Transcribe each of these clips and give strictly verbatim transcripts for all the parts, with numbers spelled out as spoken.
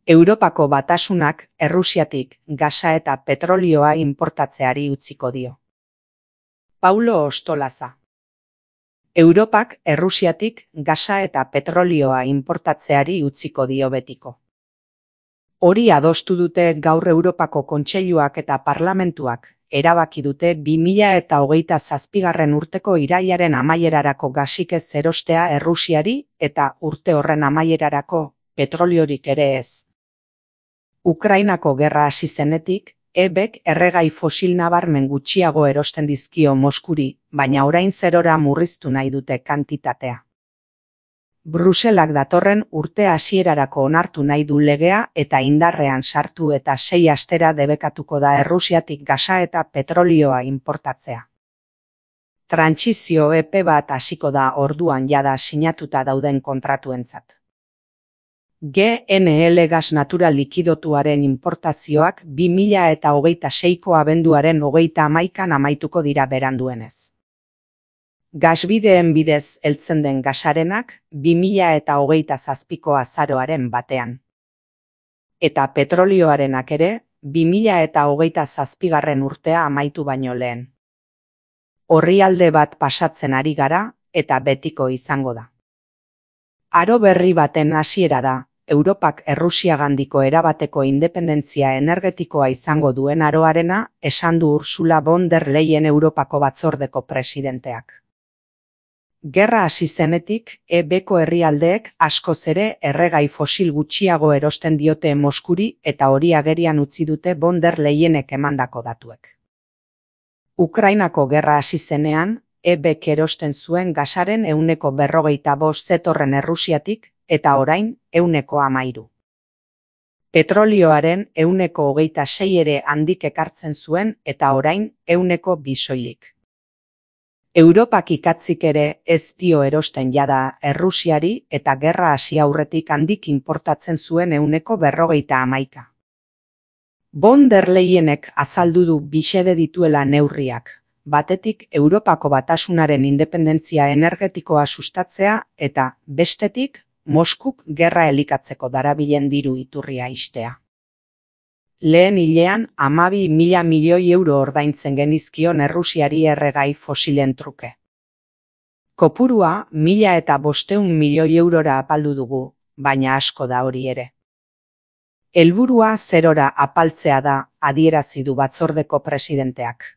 Europako Batasunak Errusiatik gasa eta petrolioa inportatzeari utziko dio. Paulo Ostolaza. Europak Errusiatik gasa eta petrolioa inportatzeari utziko dio betiko. Hori adostu dute gaur Europako Kontseiluak eta Parlamentuak erabaki dute bi mila eta hogeita zazpigarren urteko irailaren amaierarako gasik ez erostea Errusiari eta urte horren amaierarako petroliorik ere ez. Ukrainako gerra hasi zenetik, E B K erregai fosil nabarmen gutxiago erosten dizkio Moskuri, baina orain zerora murriztu nahi dute kantitatea. Bruselak datorren urte hasierarako onartu nahi du legea eta indarrean sartu eta sei astera debekatuko da Errusiatik gasa eta petrolioa inportatzea. Trantsizio epe bat hasiko da orduan jada sinatuta dauden kontratuentzat. G N L gas natural likidotuaren inportazioak bi mila eta hogeita seiko abenduaren hogeita hamaikan amaituko dira beranduenez. Gasbideen bidez heltzen den gasarenak bi mila eta hogeita zazpiko azaroaren batean. Eta petrolioarenak ere bi mila eta hogeita zazpigarren urtea amaitu baino lehen. Orrialde bat pasatzen ari gara eta betiko izango da. Aro berri baten hasiera da, Europak Errusiagandiko erabateko independentzia energetikoa izango duen aroarena, esan du Ursula von der Leyen Europako batzordeko presidenteak. Gerra hasi zenetik, E B Ko herrialdeek askoz ere erregai fosil gutxiago erosten diote Moskuri eta hori agerian utzi dute von der Leyenek emandako datuek. Ukrainako gerra hasi zenean, E B K erosten zuen gasaren ehuneko berrogeita bost zetorren Errusiatik eta orain ehuneko hamairu. Petrolioaren ehuneko hogeita sei ere handik ekartzen zuen eta orain ehuneko bi soilik. Europak ikatzik ere ez dio erosten jada Errusiari eta gerra hasi aurretik handik inportatzen zuen ehuneko berrogeita hamaika. Von der Leyenek azaldu du bisede dituela neurriak. Batetik Europako Batasunaren independentzia energetikoa sustatzea eta, bestetik, Moskuk gerra elikatzeko darabilen diru iturria ixtea. Lehen hilean hamabi mila milioi euro ordaintzen genizkion Errusiari erregai fosilen truke. Kopurua mila eta bosteun milioi eurora apaldu dugu, baina asko da hori ere. Helburua zerora apaltzea da, adierazi du batzordeko presidenteak.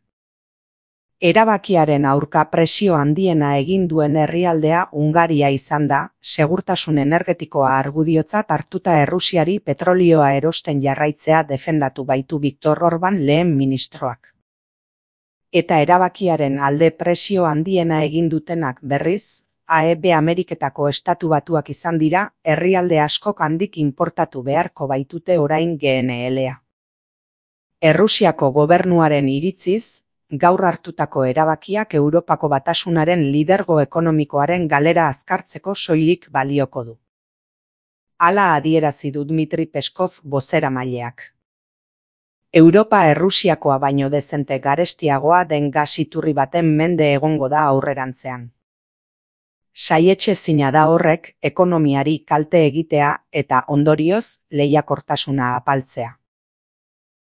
Erabakiaren aurka presio handiena egin duen herrialdea Hungaria izan da, segurtasun energetikoa argudiotzat hartuta Errusiari petrolioa erosten jarraitzea defendatu baitu Viktor Orban lehen ministroak. Eta erabakiaren alde presio handiena egin dutenak berriz, A E B Ameriketako estatu batuak izan dira, herrialde askok handik inportatu beharko baitute orain G N L-a. Errusiako gobernuaren iritziz, gaur hartutako erabakiak Europako Batasunaren lidergo ekonomikoaren galera azkartzeko soilik balioko du. Hala adierazi du Dmitri Peskov bozeramaileak. Europa Errusiakoa baino dezente garestiagoa den gas iturri baten mende egongo da aurrerantzean. Saietxezina da horrek ekonomiari kalte egitea eta ondorioz lehiakortasuna apaltzea.